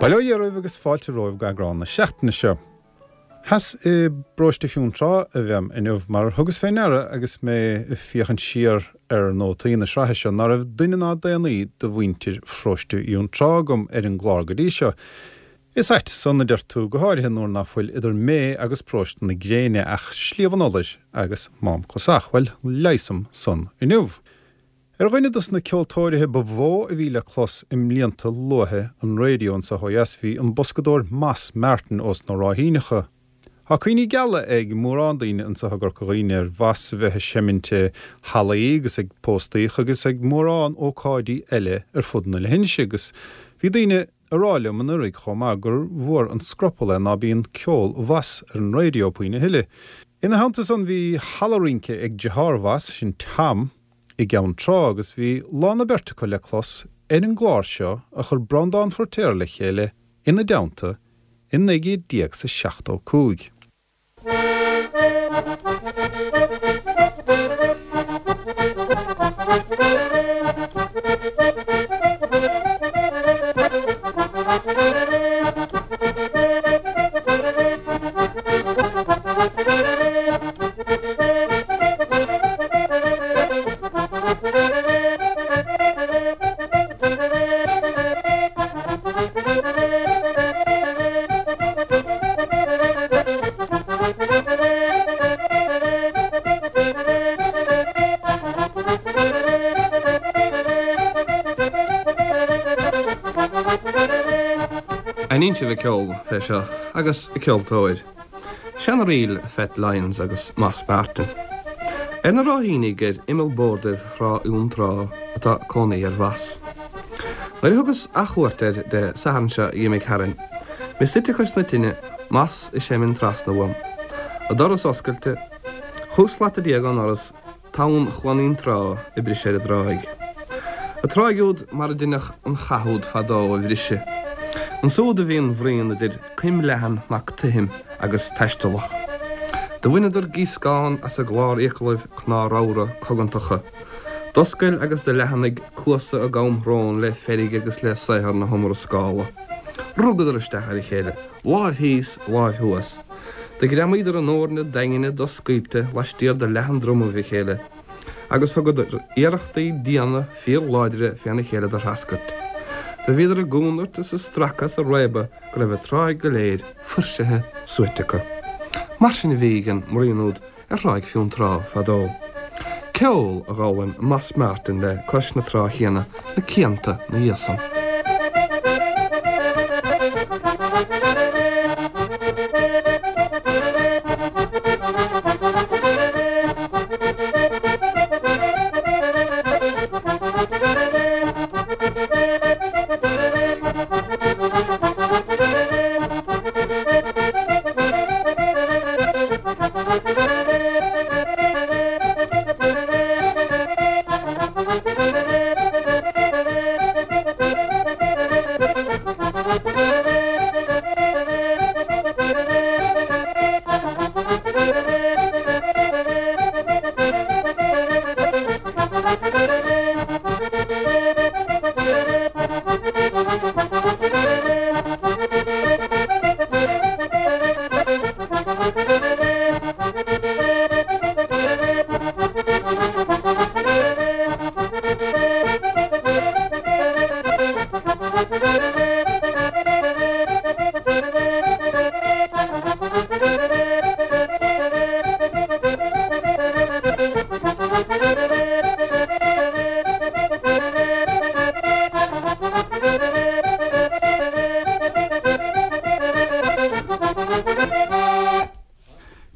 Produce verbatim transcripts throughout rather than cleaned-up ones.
Bail ó Dhia oraibh agus fáilte romhaibh go eagrán na seachtaine seo. Theas i bparóiste Fionntrá a bheam inniu mar thugas fé ndeara agus mé ag féachaint siar ar nótaí na sraithe seo ná raibh duine ná daonnaí de mhuintir pharóiste Fhionntrá agam ar an gclár go dtí seo. Is ait san, a deir tú, go háirithe nuair ná fuil idir mé agus paróiste na Gréine ach Sliabh an Fholair agus Mám Clasach. Bhuel, leigheasaim san inniu. Ar dhuine dos na ceoltóirithe ba mhó a bhí le clos i mblianta luatha an raidió anseo ó dheas bhí an boscadóir Moss Martin ós na Ráithíneacha. Tá cuimhní geala ag mórán daoine anseo i gCorca Dhuibhne ar Mhoss a bheith ag seimint i hallaí agus ag póstaíocha agus ag mórán ócáidí eile ar fud na leithinse agus bhí daoine a rá liom anuraidh chomh maith gur mhór an scrupall é ná bíonn ceol Mhoss ar an raidió puinn a thuilleadh. Ina theannta san bhí halla rince ag deartháir Mhoss, sin Tom, i gCeann Trá agus bhí lá na beirte acu le clos ar an gclár seo a chuir Breandán Feiritéar le chéile ina dteannta i naoi gcéad déag 's a seachtó cúig. Aithníonn sibh a ceol fé seo agus a ceoltóir. Seana-ríl Phat Lyons agus Moss Martin. Ar na Ráithínigh ar imeall bordaibh Thrá Fhionntrá atá cónaí ar Mhoss. Nuair a thugas athchuairt air Dé Sathairn seo a dh'imigh tharainn, mé suite cois na tine, Moss ag seimint trasna uaim. An doras oscailte, chúig shlata déag ón ndoras, tonn Chuan Fhionntrá ag briseadh ar an dtráigh. An tráigh úd mar a deineadh an chath úd fadó a bhriseadh. Ansúd a bhí an bhruíon idir Coim Leathan mac Tuithim agus Taistealach. Do bhaineadar gíoscán as a gclár-fhiaclaibh cnámh ramhra cogantacha. D'oscail agus do leathnaigh cuasa a gcamshrón le feirg agus le saothar na hiomrascála. Rugadar isteach ar a chéile, láimh thíos, láimh thuas. Do ghreamaíodar a ndóirne daingne doscaoilte laistiar de leathan-dromaibh a chéile, agus thugadar iarrachtaí diana fíorláidre féna chéile do threascairt. Do bhíodar ag únairt is ag stracadh is ag réabadh go raibh an tráigh go léir fuirsithe suaite acu. Mar sin a bhí ag an mbruíon úd ar Thráigh Fionntrá fadó. Ceol a d'fhoghlaim Moss Martin le cois na trá chéanna na cianta 'na dhiaidh san.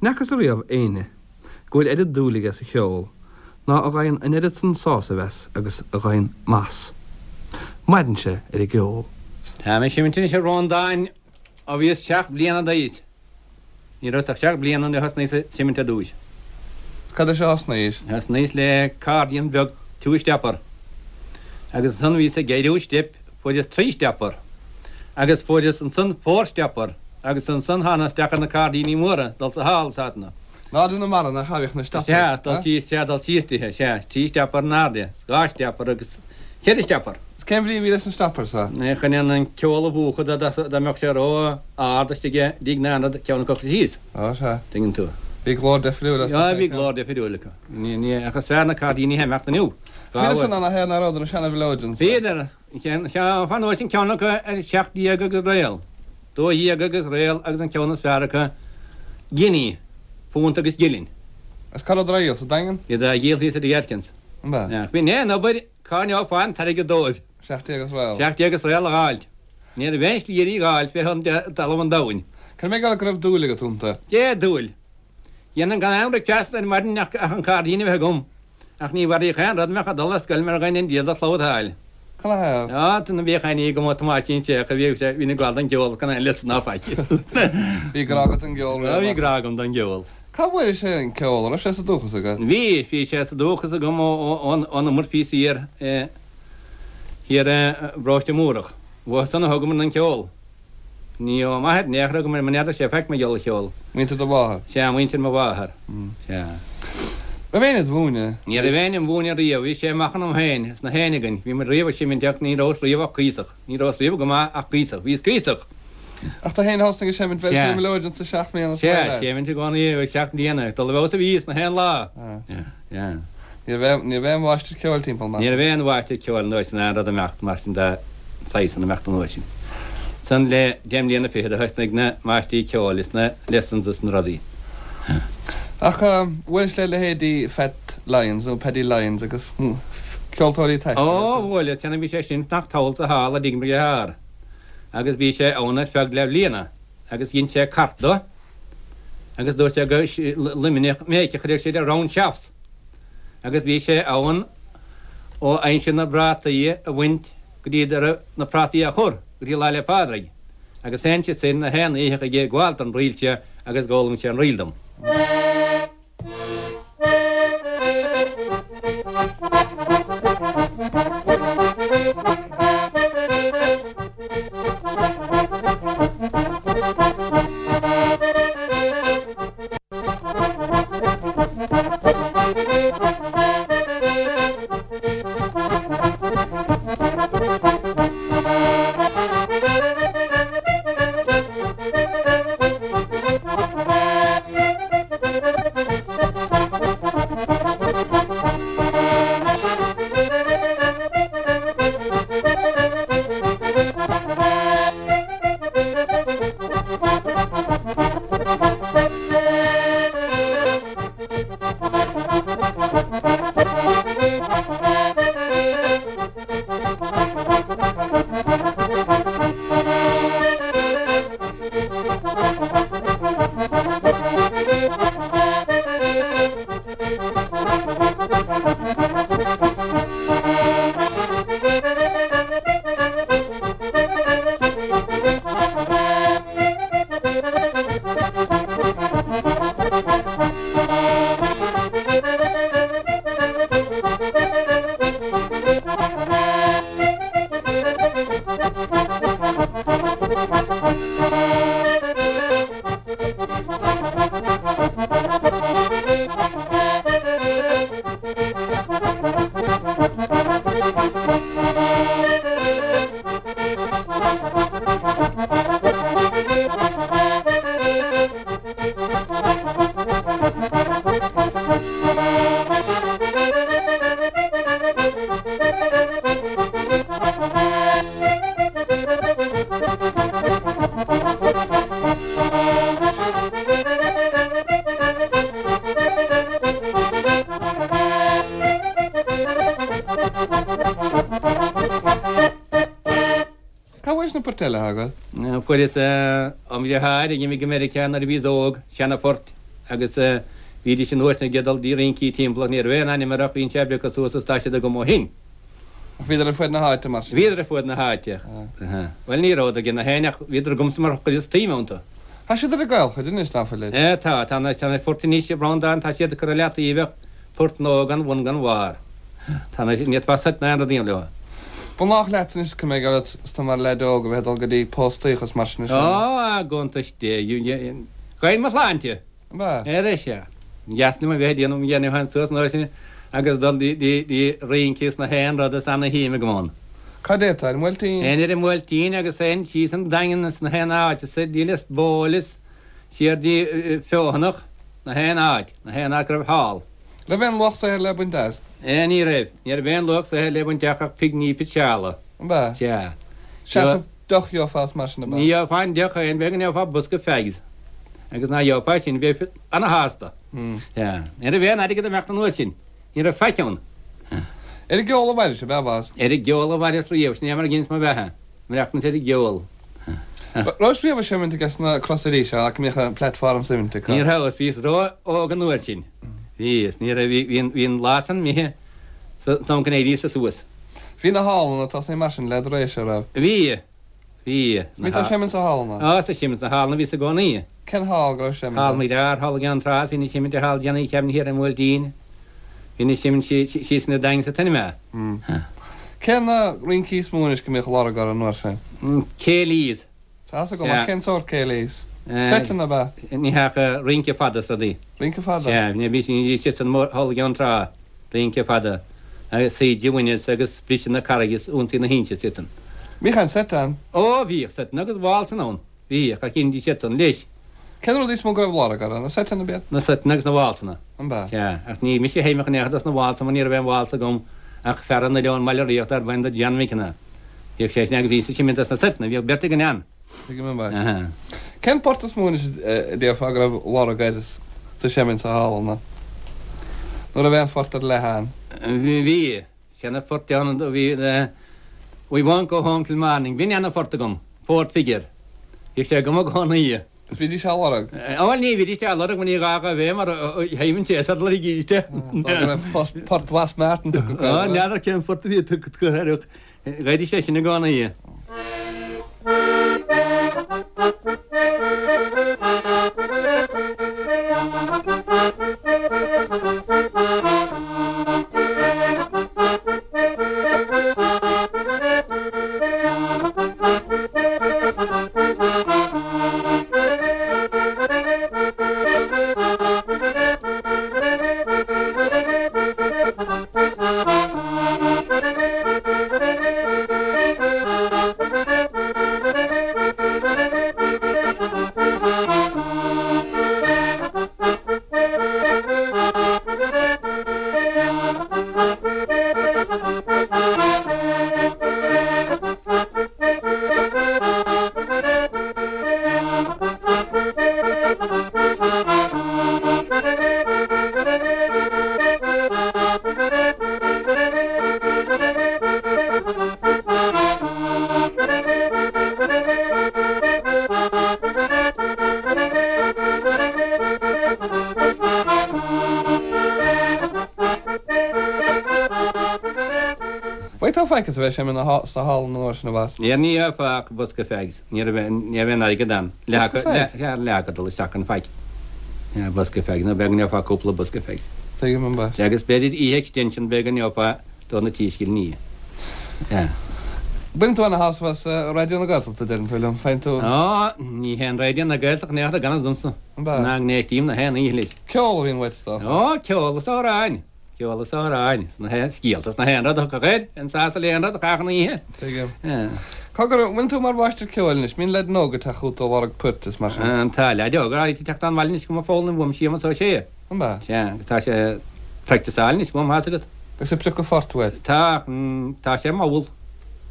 N'fheacas ariamh éinne go bhfuil oiread dúil aige sa cheol ná a ghabhann an oiread san sásaimh as agus a ghabhann Moss. Maireann sé ar an gceol. Tá mé ag seimint anois ar ranndáin ó bhíos seacht mbliana d'aois. Ní raibh ach seacht bliana nuair a thosnaíos ag seimint ar dtúis. Cad leis a thosnaís? Thosnaíos le accordion beag two stepper. Agus ansan bhíos ag éiriú steip, fuaireas three stepper. Agus fuaireas ansan four stepper. Agus ansan thána isteach ar na cairdíní móra, dul sa hall is áiteanna. Ná de na mara nach bhfaigheadh na steppers, Sea, dul síos, sea, dul síos tithe, sea, trí stepper in airde, dhá stepper agus ceithre stepper. Cén bhrí a bhí leis an stopper sa? Chun an ceol a mhúchadh dá mbeadh sé ró-ard istigh i dtigh na n-ionad ceann acu síos. Á, sea. Tuigeann tú. Bhí glór difriúil as na Bhí glór difriúil acu. Ní, ach is fearr na cairdíní a imeacht inniu. Bhíodar san ann a théann ar na seana-mhileoideans. Bhíodar. Fan uair sin ceann acu ar seacht déag agus réal. Dó dhéag agus réal agus an ceann is fearr acu giní, punt agus gilin. Is cá rabhadar á dhíol, sa Daingean? Bhíodar á dhíol thíos i dtigh Atkins. An b'ea? Bhí aon obair Cá ngeofá an t-airgead dóibh? Seacht déag is réal. Seacht déag is réal a dh'fháilt. Ní raibh aon slí ar í dh'fháilt fé thonn talamh an domhain. Cad é mar go raibh dúil agat iontu? Dé dúil. Dhéanfainn gan aon bhricfeasta ar maidin ach an cairdín a bheith agam. Ach ní mharaíodh aon rud a mbeadh ag dul ar scoil mar ghein an diabhal de chlabhtáil. Canathaobh? Á, tá na bhíodh aon ní agam ó Thomáisín Séach a bhíodh sé, bhínn ag gabháil don gceol gan aon liosta ná faic. Bhí grá agat don gceol riamh? Á, bhí grá agam don gceol. Cá bhfuairis an ceol? An raibh sé sa dúchas agat? Bhí, bhí sé sa dúchas agam ón iomad bhíos thiar, thiar i bparóiste Múrach. Uathu san a thógamar an ceol. Ní ó m'athair in aon chor a thógamar, mar n'fheadar sé faic mar gheall ar cheol. Muintir do mháthar? Sea, muintir mo mháthar. Sea. Raibh éinne id mhúineadh? Ní raibh éinne im mhúineadh riamh, bhí sé amach ionam féin, is na héinne againn. Bhí muid riamh ag seimint ach ní rabhas riamh ach cuíosach. Ní rabhas riamh go maith ach cuíosach. Bhíos cuíosach. Ach tú féin a thosnaigh ag seimint bheir sé mileoidean sa seacht mbliana is Sea, seimint i gcónaí i seacht mbliana, ag dul i bhfeabhas a bhíos na haon lá. Sea. Ní raibh ní raibh aon mháistir ceoil timpeall mar Ní raibh aon mháistir ceoil an uair sin aon rud imeacht mar sin de saghas an imeacht an uair sin. San le deich mbliana fichead a thosnaigh na máistrí ceoil is na lessons is na rudaí. Ach bhuailis le leithéidí Phat Lyons nó Paddy Lyons agus ceoltóirí taistil Ó, bhuaileas, téanam bhí sé sin fanacht thall sa halla i dtigh mo dhearthár. Agus bhí sé ann ar feadh leathbhliana agus dhein sé cairt do agus dúirt sé go Luimneach mé a chuirfeadh siad ar round shops. Agus bhí sé ann ó aimsir na bprátaí a bhaint go dtí a raibh na prátaí á chur go dtí Lá 'le Pádraig. Agus sheinn sé sin na haon oíche chuige ag gabháil don ríl seo agus d'fhoghlaim sé an ríl dom. Cá bhfuairis na poirt eile agat? Fuaireas ó mo dheartháir a d'imigh go Meiriceá nuair a bhíos óg, seana-phort agus bhídís an uair sin ag dul dtí rincí timpeall ach ní raibh aon ainm orthu ach bhíonn sé ag piocadh suas is tá siad agam ó shin. Ach bhíodar ar fuaid na háite mar sin? Bhíodar ar fuaid na háite. Bhuel ní rabhadar ag na héinne ach bhíodar agamsa mar chuireas tsuim iontu. Tá siad ar an gcaolchuid anois, ná fuilid? Tá, tá na poirt anois a Bhreandáin, tá siad curtha i leataobh ach port nua gan bhun gan bharr. Tá na, ní fhéadfá seit ná aon rud a dhéanamh leo. Ba ghnách leat anois go mbeidh ort is tú mar leaid óg a bheith ag dul go dtí póstaíocha is mar sin is ea? Ó, a gcuntais Dé, ghoin mo shláinte! Ab ea? Ar sea. Dheas liom a bheith ag déanamh, dhéanamh féin suas an uair sin agus dul dtí rince is na haon rud is ana-shuim agam ann. Cad é atá ar an mBuailtín? Aon ar an mBuailtín agus aon síos an Daingean is na haon áit is Lios Póil is siar dtí Feothanach, na haon áit, na haon áit go raibh hall. Raibh aon luach saothair le baint as? Eh ní raibh. Ní raibh aon luach saothair le baint ach pingní pitseála. An b'ea? Sea. Seasamh deoch gheofá as mar sin, ab ea? Ní gheofá an deoch féin, b'fhéidir go ngeofá bosca fags. Agus ná gheofá sin, bheifeá ana-shásta. Sea. Ní raibh aon airgead ag imeacht an uair sin. Ní raibh faic ann. Ar an gceol a mhairis, ab ea, a Bhas? Ar an gceol a mhaireas riamh, sin é mar a dheineas mo bheatha, maireachtaint ar an gceol. Raibh riamh ag seimint aige sna Crosaire seo ach go mbíodh an platform seimint acu? Ní rabhas, bhíos ró-óg an uair sin. Bhíos, ní raibh, bhí, bhí an lá san imithe san am go n-éiríos-sa suas. Bhí na hallanna tosaithe mar sin le do réise, raibh? Bhí, bhí. Bhí tú ag seimint sna hallanna? Á, ag seimint sna hallanna bhíos i gcónaí. Cén hall go raibh seimint Hall Maigh Lear, Hall i gCeann Trá, bhínn ag seimint i Hall Johnny Kevin thiar ar an mBuailtín. Bhínn ag seimint síos ina Daingean sa tSinema. Cé na rincí is mó anois go mbíodh lorg orthu an uair sin? Céilís. Tá fhios agam, ach cén sórt céilís? Seiteanna, ab ea? Ní hea ach rince fada is rudaí. Rince fada? Sea, bhí siad san hall i gCeann Trá, rince fada, agus Saoide Bhaineas agus Briseadh na Carraige is Ionsaí na hInse is iad san. Bhíodh aon seit ann? Ó, bhíodh seiteanna agus válsanna ann. Bhíodh, ach dheinidís iad san leis. Cén rud is mó go raibh lorg orthu? Na seiteanna, ab iad? Na seiteanna agus na válsanna. An b'ea? Sea, ach ní mise a sheinneadh in aon chor dos na válsanna mar ní raibh aon válsa agam ach fear an Oileáin Bhaile Ríocht darb ainm do John McKenna. Bhíodh sé sin agus bhíos ag seimint dos na seiteanna, bhíodh beirt againn ann. Tuigim an b'ea. Aha. Cén port is mó anois a déarfá go raibh lorg air is tú ag seimint sna hallanna? Nó raibh aon phort ar leith ann? Bhí. Seana phort ann a bhí We won't go home till morning. B'in ana phort agam. Fourth figure. Bhíodh sé agam i gcónaí. Is bhídís á lorg? Bhuel ní bhídís á lorg mar ní gá dhóibh é mar sheiminnse é sar loirgídís é. Tá go raibh port Bhas Martin tugtha acu. Á, n'fheadar cén phort a bhí tugtha acu air ach gheibhidís é sin i gcónaí. Bhfaighfeá faic as a bheith ag seimint sna hallanna an uair sin, a Bhas? Níor ní gheofá ach bosca fags. Ní raibh ní raibh aon airgead ann. Bosca fags? Leath acu dul isteach chun faic. Bosca fags nó b'fhéidir go ngeofá cúpla bosca fags. Tuigim an bhas. Agus b'fhéidir oíche extension b'fhéidir go ngeofá do na trí scilliní. Baineann tú ana-shásamh as Raidió na Gaeltachta, deireann tú liom. Faigheann tú. Á, ní haon Raidió na Gaeltachta in aon chor gan fhios domsa. An b'ea? Ná go n-éistím na haon oíche leis. Ceol a bhíonn uait, is dócha. Ó, ceol is amhráin. Ceol is amhráin, is na haon scéalta is na haon rud a thiocfadh air, an sásamh le haon rud a chaitheamh an oíche. Tuigim. Cogar, an bhfuil tú mar mháistir ceoil anois? Mbíonn leaideanna óga ag teacht chugat ag lorg poirt is mar sin? Tá leaid óg áirithe ag teacht 'on bhaile anois chugam ag foghlaim uaim, Séamus Ó Sé. An b'ea? Sea, agus tá sé ag practiceáil anois uaim, thá's agat. Agus ag priocadh phort uait? Tá, tá sé mall.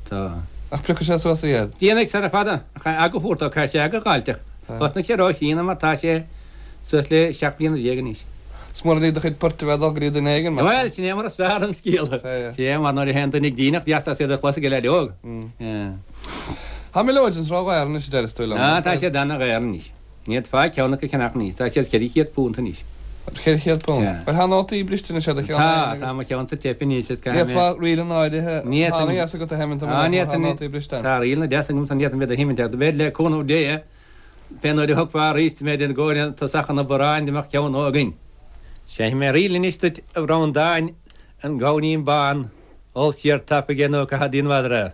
Tá. Ach priocfaidh sé suas iad? Déanfaidh, sara fada. Ach aga thabhairt dó, caithfidh sé aga a dh'fháilt ach thosnaigh sé ró-chríonna mar tá sé suas le seacht mbliana déag anois. Is mór an ní do chuid poirt a bheith ag dul go dtí duine éigin, mar sin. Bhuel, sin é mar is fearr an scéal. Sea, mar nuair a théann duine ag dínach, deas as iad a chlos ag an leaid óg. Tá mileoideans ró-dhaor anois, a deireas tú liom. Á, tá siad ana-dhaor anois. Ní fhéadfá ceann acu a cheannach anois. Tá siad ceithre chéad punt anois. Ceithre chéad punt? Sea. Bhuel, tá nótaí briste anois ar do cheann Tá, féin agus. tá mo cheannsa teipthe anois is caithfidh mé. D'fhéadfá ríleanna áirithe, Ní tá fhéadfainn. a fhios agat a sheimint Á, amach ní má tá fhéadfainn. nótaí briste ann. Tá ríleanna deasa agamsa, ní fhéadfainn iad a sheimint ach b'fhéidir le cúnamh Dé, Pé nuair a thiocfá arís b'fhéidir i gcomhair tosach an obaráin go mbeadh ceann nua againn. Seinnfidh mé ríl anois duit a Bhreandáin, An Gamhainín Bán, ól siar tapaidh é nó caithfidh díon mhadra é.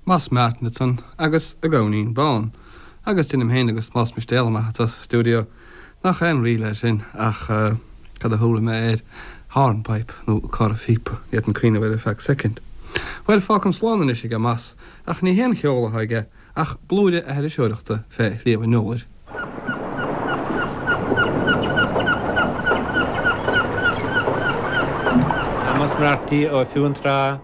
Moss Martin ansan agus A Gabhainín Bán. Agus deinim féin agus Moss Mistéal amach as sa stiúideo nach aon ríl é sin ach cad a thabharfaidh mé air hornpipe nó corrphíopa, ní fhéadfainn cuimhneamh air ar feadh soicind. Bhuel, fágfainn slán anois aige Moss ach ní haon cheol atá aige ach blúire a thiriseoireachta fé Shliabh an Iolair. Moss Marty ó Fionntrá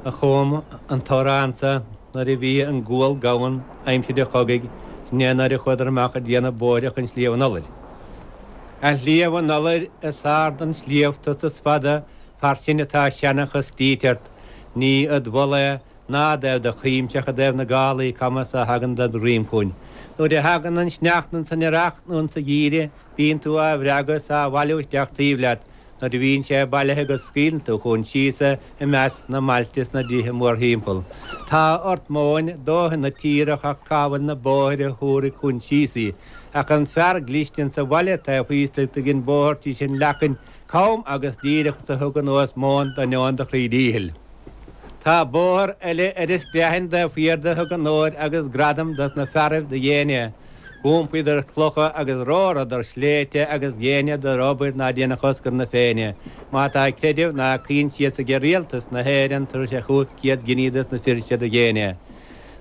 a chum an t-amhrán sa nuair a bhí an gual gann aimsir an chogaidh sin é nuair a chuadar amach ag déanamh bóithre chun Sliabh an Iolair. A Shliabh an Iolair is ard an sliabh tusa is fada far sin atá seanchas scríte ort, ní id mholadh é ná i dtaobh do chuimse ach i dtaobh na gálaí cama is a thagann ded dhroim chugainn. Nuair a thagann an sneachta ins an earrach nó insa gheimhreadh bíonn tú á bhreagadh is á bhailiú isteach taobh leat, Nuair a bhíonn sé bailithe agat scaoileann tú chugainn síos é i measc na mbailte is na dtithe mórthimpeall. Tá ort móin dóthain na tíre ach cá bhfuil na bóithre a thabharfaidh chugainn síos í. Ach an fear cliste insa bhaile taobh thíos do dhein bóthar tís an leacain cam agus díreach is a thug anuas móin d'ainneoin do chroí díchill. Tá bóthar eile ar an Screathain taobh thiar de thug onóir agus gradam dos na fearaibh do dhein é. D'iompaíodar clocha agus romhradar sléibhte agus dheineadar obair ná déanfadh Oscar na Féinne. Má tá creideamh ná coinsias aige Rialtas na hÉireann tabharfaidh sé chúig chéad giní dos na fir seo do dhein é.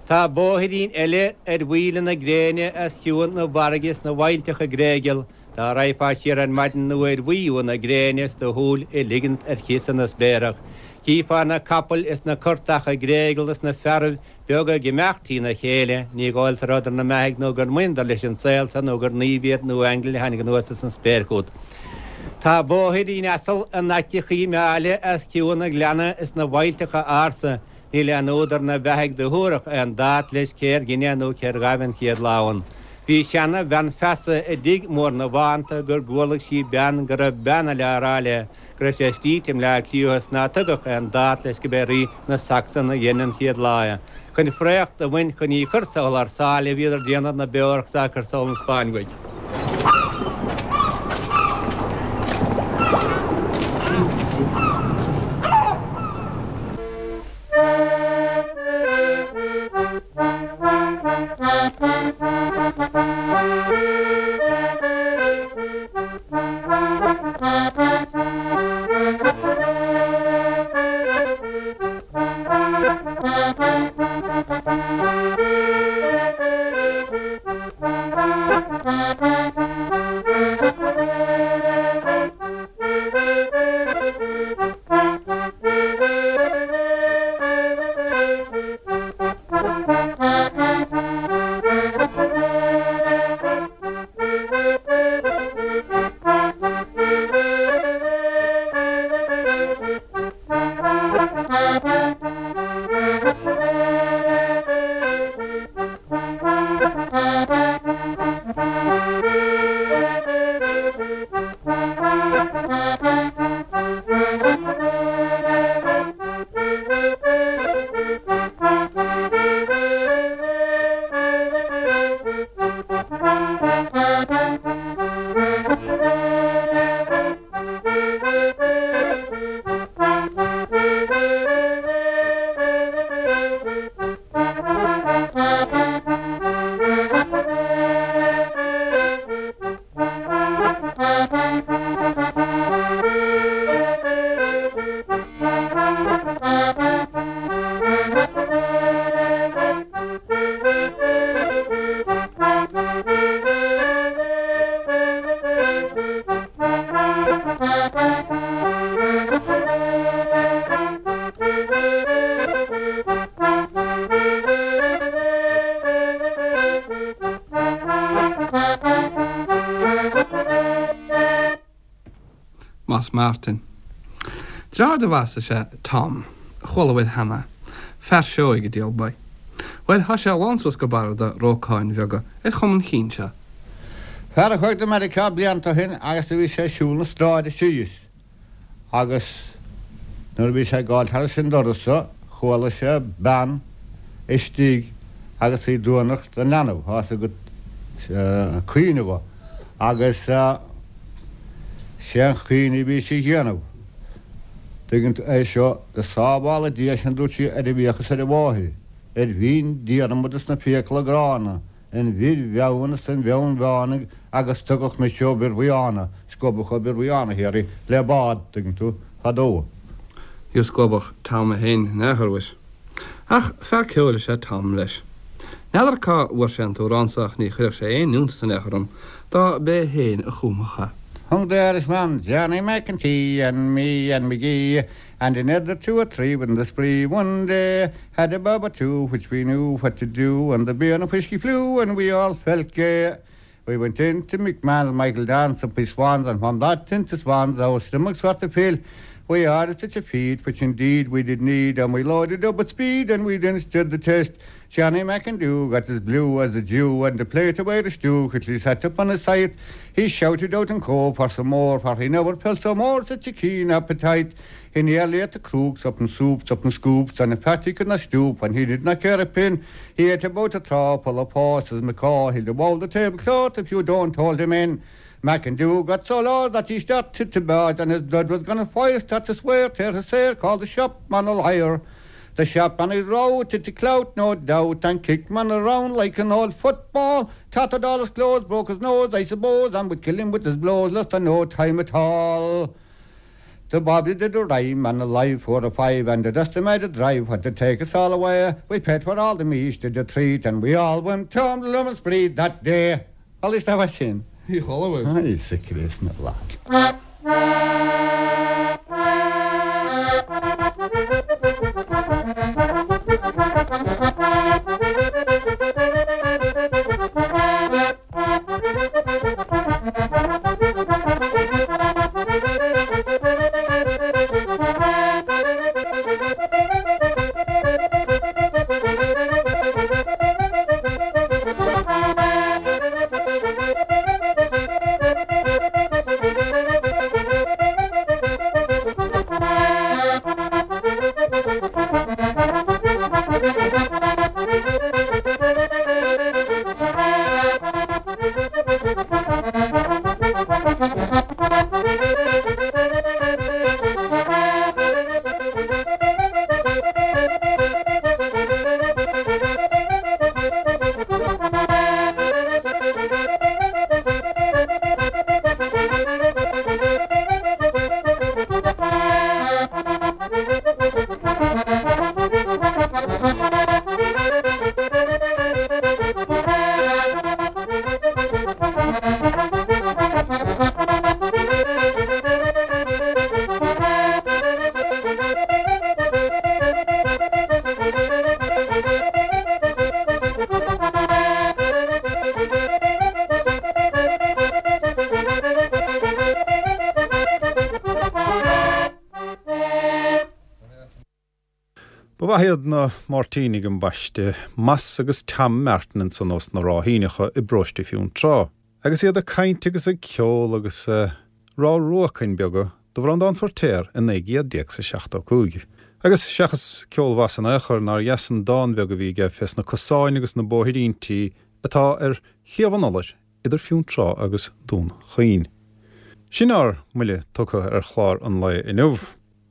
Tá bóithrín eile ar mhaoile na gréine os cionn na bhfarraige is na bhfaillteacha gréigeal, dá raghfá siar ar maidin nuair bhuí na gréine is do shúil a ligint ar chíosa na spéarach, chífeá na capaill is na curtacha gréigeal is na fearaibh beaga ag imeacht trína chéile, ní dhóigh leat a rabhadar 'na mbeathaidh nó gur mbaineadar leis an saol so nó gur naoimh iad nó aingil a tháinig anuas as an spéir chugat. Tá bóithrín asal in aice Choill Meáile os cionn an ghleanna is na bhfaillteacha ársa, níl aon údar 'na bheathaidh do thabharfadh aon dát leis cér dhein é nó cér ghabh an chéad lá ann. Bhí seana bhean feasa i dtigh mór na bhFánta gur gcualaidh sí bean go raibh bean eile á rá léi go raibh sé scríte i mBleá Cliath is ná tugadh aon dát leis go b'é rí na Sacsan a dhein an chéad lá é. Chun fraoch do bhaint chun í chur thar sáile bhíodar déanamh na beorach 's á cur sall 'on Spáinn uaidh. Moss Martin. Deartháir do Mhoss is ea Tom, a chuala uaibh cheana, fear seoigh, a diabhal ba. Bhuel, thá sé lán suas go barra de rócáin bheaga ar chuma an chinn seo. Fear a chuaigh do Meiriceá blianta ó shin agus do bhí sé ag siúl na stráide síos agus nuair a bhí sé ag gabháil thairis an doras so chuala sé bean istigh agus í ag duanacht don leanbh, thá's agat, ag caoineadh dho agus sé an chaoineadh a bhí sí a dhéanamh, tuigeann tú, é seo, go sábhála Dia sinn a dúirt sí ar an bhfiach is ar an mháthair, ar bhinn Diarmaid is na fiacla gránna, an bhir mheann is an bheann mheánaigh agus tugadh mise ó Bhir Bhuíána, scuabadh ó Bhir Bhuíána thiar í le bád, tuigeann tú, fadó. Níor scuabadh Tom é féin in aon chor uait. Ach fear ceoil is ea Tom leis. N'fheadar cá bhfuair sé an t-amhrán so ach ní chuirfeadh sé aon iontas in aon chor orm dá b'é féin a chumfadh é. Hung the Irishman, Johnny McEntee and me and McGee and another two or three within the spree one day had a bob or two which we knew what to do and the beer and whiskey flew and we all felt gay. We went into McMahon's Michael Dance up his swans and from that into swans our stomachs were to fill. We ordered such a feed which indeed we did need and we loaded up at speed and we then stood the test. Johnny McIndoo got as blue as a Jew and the plate away the stew quickly sat up on his side. He shouted out in co for some more for he never felt so more such a keen appetite. He nearly ate the crooks up and soups up and scoops and a fat he could not stoop and he did not care a pin. He ate about a trough full of paws as macaw. He'll devour the tablecloth if you don't hold him in. McIndoo got so low that he started to barge and his blood was gone fire start to swear tear his hair called the shopman a liar. The shopman he routed to clout no doubt and kicked man around like an old football. Tattered all his clothes, broke his nose, I suppose, and would kill him with his blows, lost no time at all. The Bobby did a rhyme and a live four or five and the estimated drive had to take us all away. We paid for all the meat did the treat and we all went home to Lummus Breed that day. All is that sin. Ní chuala uaibh. Íosa Críost na lá. Ba mhaith iad na Máirtínigh ambaiste, Mas agus Tam Martin ansan ós na Ráithíneacha i bparóiste Fionntrá. Agus iad ag caint agus ag ceol agus ag rá ruacain beaga do Bhreandán Feiritéar i naoi gcéad déag 's a seachtó cúig. Agus seachas ceol Mhas in aon chor nár dheas an dán beag a bhí aige fés na cosáin agus na bóithríntí atá ar thaobh an Fholair idir Fionntrá agus Dún Chaoin. Sin ár mbuille tugtha ar chlár an lae inniu.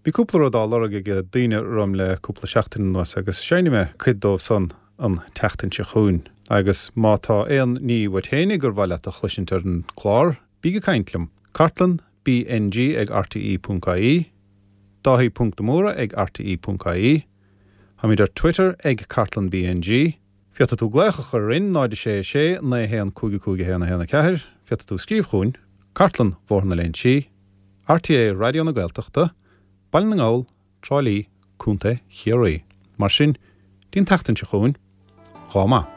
Bhí cúpla rud á lorg ag daoine orm le cúpla seachtain anuas agus seinnfidh mé cuid dóibh san an tseachtain seo chugainn. Agus má tá aon ní uait fhéinig gur mhaith leat a chloisint ar an gclár, bíg ag caint liom. Cartlann BNG ag rte ponc ie, Dáithí ponc de Mórdha ag rte ponc ie, Táimid ar Twitter ag Cartlann BNG, Féadfaidh tú glaoch a chur orainn, náid a sé a sé, naoi a haon cúig a cúig a haon a haon a ceathair, Féadfaidh tú scríobh chugainn, Cartlann Bhóthar na Léinsí, RTÉ Raidió na Gaeltachta, Baile na nGall, Trá Lí, Contae Chiarraí. Mar sin, dtí an tseachtain seo chugainn, dhá maith.